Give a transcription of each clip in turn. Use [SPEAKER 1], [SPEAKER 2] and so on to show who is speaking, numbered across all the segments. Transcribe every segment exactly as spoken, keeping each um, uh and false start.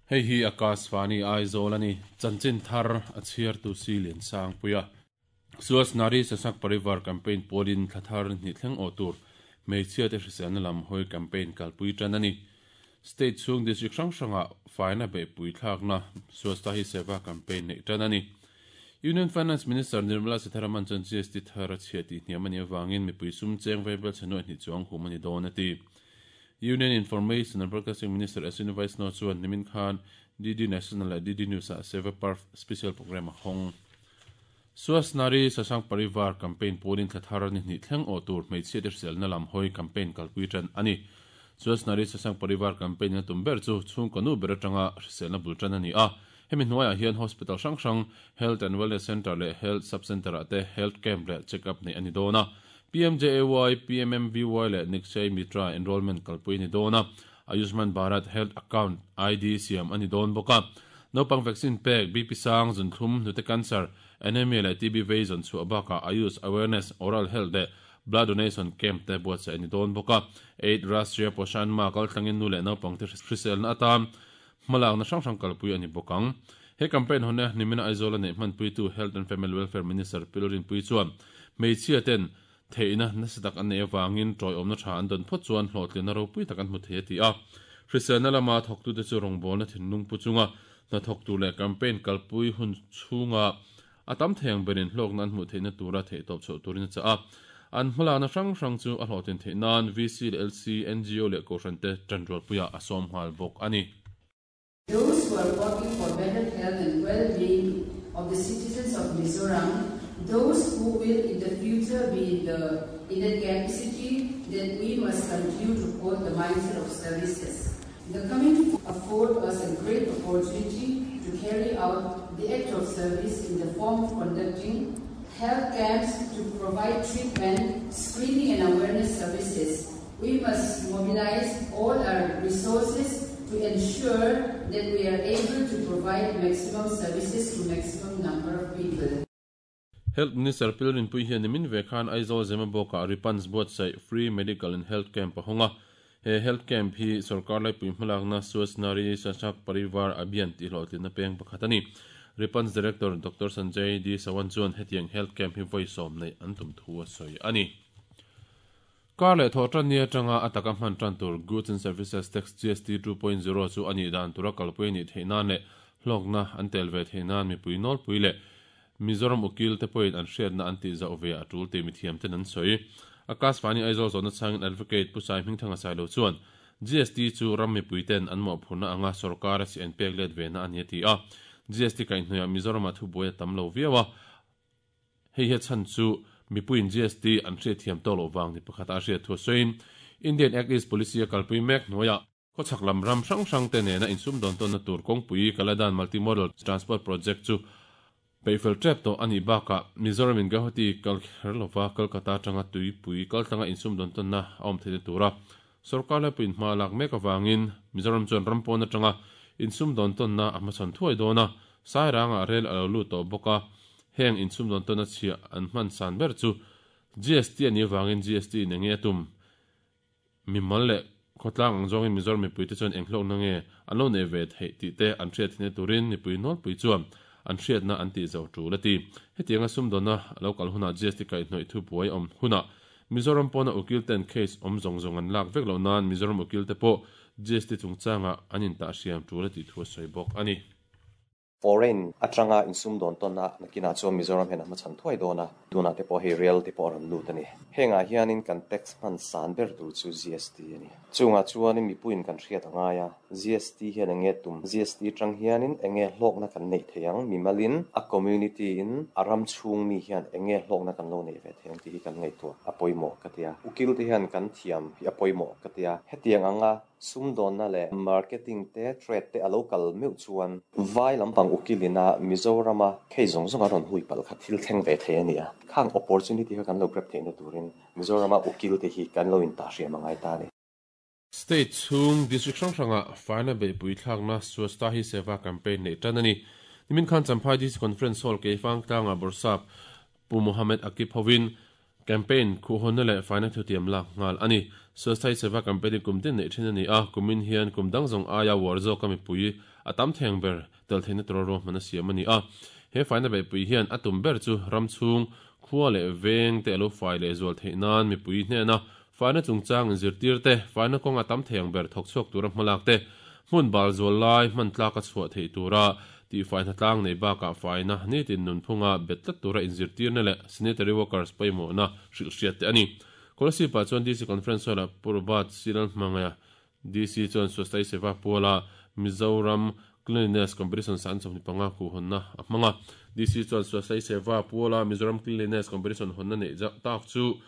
[SPEAKER 1] Hei hi Akashvani Aizawl ani chanchin thar a chhiar tu si lian sang puia Suas Nari Sasak Parivar campaign polin thlathar ni thleng aw tur hmeichhia te hriselna lam hawi campaign kalpui tan ani state chung district hrang hranga faina be pui thlakna Swasta Hi Seva campaign nei tan ani Union Finance Minister Nirmala Sitharaman chuan G S T thar a chhia tih hniam ani awangin mipui sum cheng veibel chhenu hni chuang hum ani dawn ati Union Information and Broadcasting Minister Ashwini Vaishnaw chuan nimin khan D D National leh D D News ah Seva Parv special program a hawng Suas Nari Sasang Parivar campaign polin thlathar ni hni thleng aw tur hmeichhia te hriselna lam hawi campaign kalpui tan ani Suas Nari Sasang Parivar campaign na tum ber chu chhung kanu ber atanga hriselna bul tan ani a hemi hnuaiah hian hospital hrang hrang health and wellness center leh health sub center ah te health camp leh check up nei ani dawn a P M J A Y P M M V Y leh Nikshay Mitra enrollment kalpui ni dawn a Ayushman Bharat health account I D siam ani dawn bawk a naupang vaccine pek B P sang zunthum hnute cancer anemia leh T B vei zawn chhuah bakah Ayush awareness oral health leh blood donation camp te buatsaih ani dawn bawk a eight Rashtriya Poshan Ma kalthlangin nu leh naupang te hriselna atan hmalakna hrang hrang kalpui ani bawk ang he campaign hone nimina Aizawl a neih hmanpui tu Health and Family Welfare Minister Pilorin pui chuan hmeichhia ten theihna nasa tak an nei awangin tawiawmna tha an dawn phawt chuan hlawhtlina ropui tak an hmu thei a ti a hriselna lama thawktute chu rawngbawlna thinlung pu chunga hnathawk tur leh campaign kalpui hun chhunga a tam theiang berin hlawkna an hmuh theihna tura theih tawp chhoh turin a chah a an hmalakna hrang hrang chu a hlawhtlin theih nan V C leh L C N G O leh kohhran te tanrualpuia a sawm nghal bawk ani.
[SPEAKER 2] Those who are working for better health and well-being of the citizens of Mizoram, those who will in the future be in the in the capacity that we must continue to hold the mindset of services. The coming afford us a great opportunity to carry out the act of service in the form of conducting health camps to provide treatment, screening and awareness services. We must mobilize all our resources to ensure that we are able to provide maximum services to maximum number of people.
[SPEAKER 1] Health Minister Pilorin pui hian nimin ve khan Aizawl Zemabawkah Ripans buatsaih free medical and health camp a hawnga he health camp hi sarkar laipui hmalakna Suas Nari Sasak Parivar Abhiyan tih hlawhtlinna peng pakhat ani Ripans Director Doctor Sanjay D Sawan chuan hetiang health camp hi vawi sawm nei an tum thu a sawi ani Kar leh thaw tan ni atanga ataka hman tan tur Goods and Services Tax G S T two point zero chu ani dan tura kalpui ni theihna leh hlawkna an tel ve theihna mipui nawlpui leh Mizoram ukil te pawhin an hriatna an tih zauh ve a tul ti mithiam ten an sawi Akashvani Aizawl zawhna changin advocate Pu Sai Hmingthanga Sailo chuan G S T chu ram mipui ten an mawhphurna anga sarkar a chi an pek let ve na ani a ti a G S T kaihhnuaiah Mizoramah thubuai a tam lo viau a hei hi chan chu mipuiin G S T an hriat thiam tawh loh wang ni pakhat a hriat thu sawiin Indian Act East Policy a kalpui mek hnuaiah khawchhak lam ram hrang hrang te nena insum dawn tawnna tur kawngpui Kaladan Multimodal Transport Project chu peihfel tep tawh ani bakah Mizoram in Guwahati kalkher lova Kolkata atanga tuipui kaltlanga insum dawn tawnna a awm theihna tura sarkar laipuiin hma lak mek awangin Mizoram chuan rampawn atanga insum dawn tawnna a hmachhawn thuai dawn a sairanga rel a lo lut tawh bawk a heng insum dawn tawnna chhia an hman san ber chu G S T ani awangin G S T in enge tum mimal leh khawtlang ang zawngin Mizoram mipui te chuan eng hlawkna nge an lo nei ve theih tih te an hriat thina turin mipui nawlpui chuan an hriatna an tih zo tul a ti hetianga sum dawnna a lo kal hunah G S T kaihhnawih thu buai awm hunah Mizoram pawna ukil ten case awm zawng zawng an lak vek loh nan Mizoram ukil te pawh G S T chungchanga an intah hriam tul a tih thu a sawi bawk ani.
[SPEAKER 3] Foreign atanga insum dawn tawnna nakina chuan Mizoram hian a hmachhan thuai dawn a tuna te pawh hei real te pawh a rawn lut ani hengah hianin kan tax hman san ber tur chu G S T ani chungah chuanin mipuiin kan hriat angai a G S T hian enge tum G S T tang hianin enge hlawkna kan neih theiang mimalin a community in a ram chhung mi hian enge hlawkna kan lo nei ve theiang tih hi kan ngaihtuah a pawimawh ka tia ukil te hian kan thiam hi a pawimawh ka tia hetiang anga sum dawnna leh marketing te trade te a local meuh chuan vai lampang ukilina Mizorama khei zawng zawng a rawn hui pal kha thil thleng ve thei ani a khang opportunity kha kan lo grab theihna turin Mizorama ukil te hi kan lo in ta hriam angai ta ani.
[SPEAKER 1] State chung district hrang hranga faina beihpui thlakna Swasta Hi Seva campaign nei tan ani nimin khan Champhai D C Conference Hall keifang tlanga Borsap Pu Mohammed Akip hovin Campaign khu hon le faina thu tiam lak ngal ani. Swasthai Seva campaign kum tin nei thin ani a kumin hian kum dang zong aya war zo kami pui atam theng ber tel thein tro ro mana siam ani a. He faina be pui hian atum ber chu ramchung khuwa le veng te lo fai le zol theinan mi pui hne na faina chungchang zirtir te faina kong atam theng ber thok chok tura hmalak te hmun bal zol lai hman tla ka chhuah thei tura ti faina tlang nei ba ka faina ni tin nun phunga betlat tura inzirtir na le sanitary workers paimo na hril hriat te ani. Kolasi pa chuan D C conference la Purbat Silal Mangaya D C chuan Swasthai Seva Puala Mizoram Cleanliness Competition san chawni panga khu honna a hmanga. D C chuan Swasthai Seva Puala Mizoram Cleanliness Competition honna nei tak chu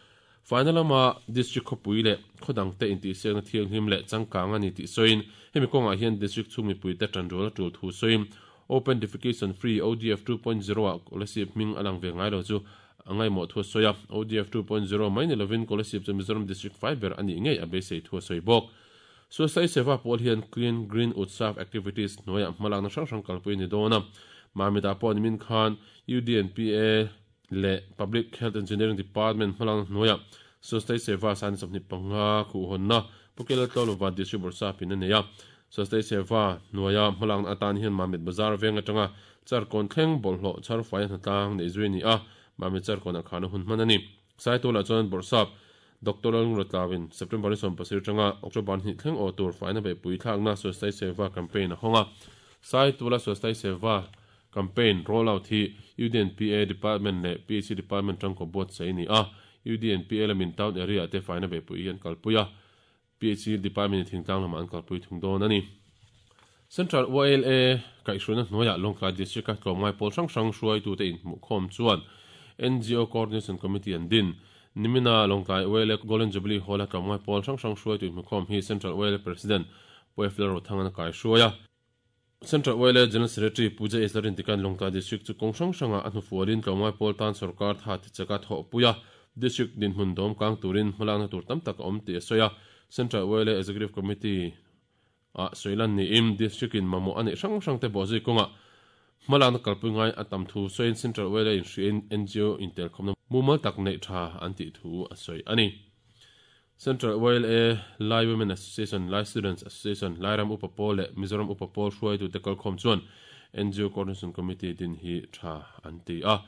[SPEAKER 1] final ama district khopui le khodang te inti siang thiang him le changkang ani ti soin hemi konga hian district chungmi pui te tanrol tul thu soin open defecation free O D F two point zero a kolasip ming alang ve ngai lo chu angai mo thu soya O D F two point zero mai ni lovin kolasip chu Mizoram district five ber ani ngei a be sei thu soi bok. Swasthai Seva Pawl hian clean green utsav activities noya hmalang na hrang hrang kalpui ni dona mamita pawh min khan U D N P A le Public Health Engineering Department hmalang noya Swasthai Seva san chawni panga khu honna pukela tlolova district borsa pin ania. Swasthai Seva noya hmalang atan hian mamit bazar veng atanga charkon thleng bolhlo char fai hnatlang nei zui ni a mamit charkon a khana hun hman ani. Saitola chuan borsap Doctor Rotlavin September som pasir tanga October ni thleng o tur faina be pui thlak na Swasthai Seva campaign a honga. Saitola Swasthai Seva campaign rollout hi U D N P A department le P H C department tang ko bot sei ni a. U D N P A lamin town area te faina be pui hian kalpuia P H C department thingtlang lama an kalpui thung dawn ani. Central O L A kaihhruna hnuaiah Lawngtlai district a tlawmngai pawl hrang hrang hruai tu te inhmuh khawm chuan N G O Coordination Committee an din. Nimina Lawngtlai O L A Golden Jubilee Hall a tlawmngai pawl hrang hrang hruai tu inhmuh khawm hi Central O L A President Poefler Rothang an kaihhruai a. Central O L A General Secretary Puja Eslarin tikan Lawngtlai district chu kawng hrang hranga a hnufualin tlawmngai pawl tan sarkar tha ti chaka thawh puia district dinhmun dawm kang turin hmalakna tur tam tak a awm tih a sawi a. Central O L A Executive Committee a soilan ni im district in mamo ani hrang hrang te bo zui kawnga hmalakna kalpui ngai a tam thu sawiin Central O L A in hriin N G O intel khawmna mumal tak nei tha an tih thu a sawi ani. Central O L A Lai Women Association, Lai Students Association, Lairam Upa Pawl le Mizoram Upa Pawl hruai tu te kalkhawm chuan N G O Coordination Committee din hi tha an ti a.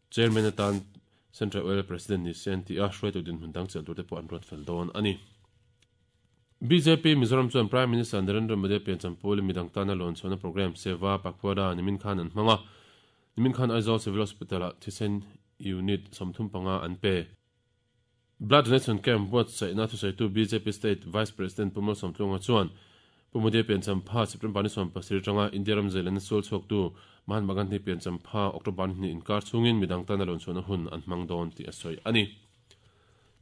[SPEAKER 1] Chairman atan Central O L A President ni se an ti a hruai tu din hmun dang chel tur te pawh an ruat fel dawn ani. B J P Mizoram chuan Prime Minister Narendra Modi piancham pawlin midang tana lawn chhuahna program Seva Pakhwada nimin khan an hmanga. Nimin khan Aizawl Civil Hospital ah thisen unit sawmthum panga an pe. Blood donation camp buat saihna thusaitu B J P State Vice President Pumal Sawmtlunga chuan Pu Modi piancham pha September ni sawm pasarih tanga India ram zeilan sul chhuak tu Mahatma Gandhi piancham pha October ni inkar chungin midang tana lawn chhuahna hun an hmang dawn tih a sawi ani.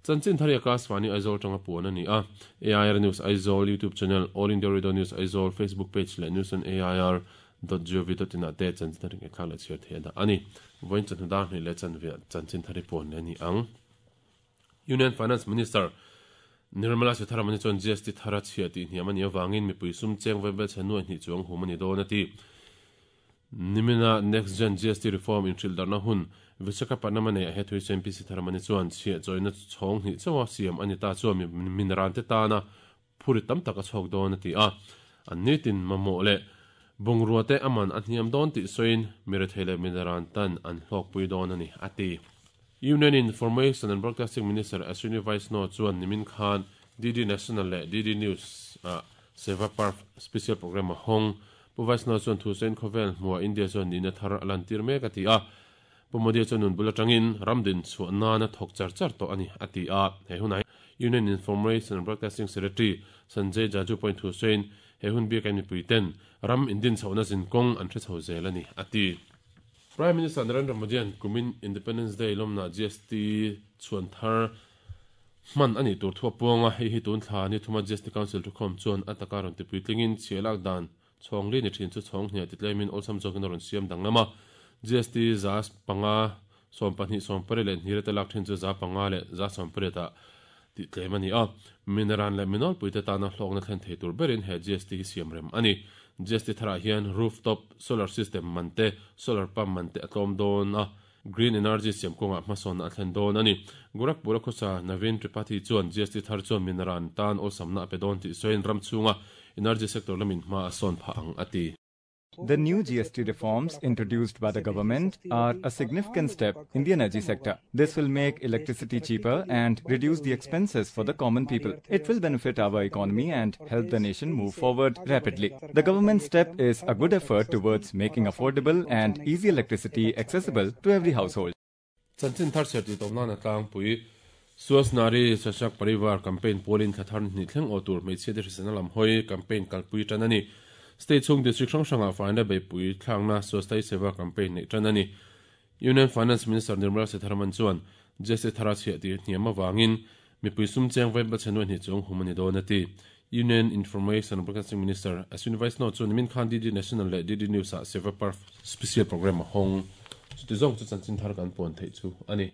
[SPEAKER 1] Chanchin thari Akashvani Aizawl tanga puan ani a. A I R News Aizawl YouTube channel, All India Radio News Aizawl Facebook page le news on A I R dot gov dot in te chanchin thari nge khang le chhiar thei da ani. Voin chan dar ni le chan ve chanchin thari puan le ni ang. Union Finance Minister Nirmala Sitharaman chuan G S T thara chhia tih hniam ani awangin mipui sum cheng vebel chhenu hnih chuang hum ani dawn ati. Nimina Next Gen G S T reform in hrildarna hun Visakhapatnam nei a hethui chuan P Sitharaman chuan chhia chawina chhawng hnih chawa siam ani ta chuan minran te tana phuri tam tak a chhawk dawn ati a. An nitin mamawh le bungrua te aman a hniam dawn tih sawiin mirethei le minran tan an hlawkpui dawn ani ati. Union Information and Broadcasting Minister Ashwini Vaishnaw chuan nimin khan D D National le D D News a Seva Parv special program a hawng. Pu Vaishnaw chuan thu sawiin khawvel hmuah India chuan nihna thar a lantir mek ati a. Pu Modi chuan nun bul atangin ramdin chhuah nana thawk char char tawh ani ati a. He hunah Union Information and Broadcasting Secretary Sanjay Jaju point thu sawiin he hun biak an mipui ten ram indin chhohna zinkawng an hre chho zel ani ati. Prime Minister Narendra Modi an kumin Independence Day lawmna G S T chuan thar hman ani tur thua puanga hei hi tun thla ni thuma G S T Council thukhawm chuan ataka rawn tipui tlingin chhialak dan chhawng li ni thin chu chhawng hniah titlemin awlsam zawkin a rawn siam danglama G S T za panga sawm pahnih sawm pariat leh hnih te lak thin chu za panga leh za sawm pariat ah tih tlem ani a. Minaran leh minawlpui te tana hlawkna thlen thei tur berin he G S T hi siam rem ani. G S T tharah hian rooftop solar system man te solar pump man te a tlawm dawn a. Green energy siam kawnga hmasawnna a thlen dawn a ni. Gorakhpur a khawsa Naveen Tripathi chuan G S T thar chuan minaran tan awlsamna a pe dawn tih sawiin ram chhunga energy sector lamin hma a sawn phah ang a ti.
[SPEAKER 4] The new G S T reforms introduced by the government are a significant step in the energy sector. This will make electricity cheaper and reduce the expenses for the common people. It will benefit our economy and help the nation move forward rapidly. The government step is a good effort towards making affordable and easy electricity accessible to every household.
[SPEAKER 1] Chanchin thar chhiar tih tawp nana tlangpui Swasth Nari Sashakt Parivar campaign pualin thla thar hnih thleng aw tur hmeichhia te hriselna lam hawi campaign kalpui tan a ni. State chhung district hrang hrangah faina beihpui thlakna Swasthta Hi Seva campaign neih tan a ni. Union Finance Minister Nirmala Sitharaman chuan G S T thara chhiah tih hniam avangin mipui sum cheng vaibelchhe nuai hnih chung hum a ni dawn a ti. Union Information and Broadcasting Minister Ashwini Vaishnaw chuan nimin khan D D National leh D D News ah Seva Parv special program a hawng. Chuti zawng chu chanchin thar kan puan theih chu a ni.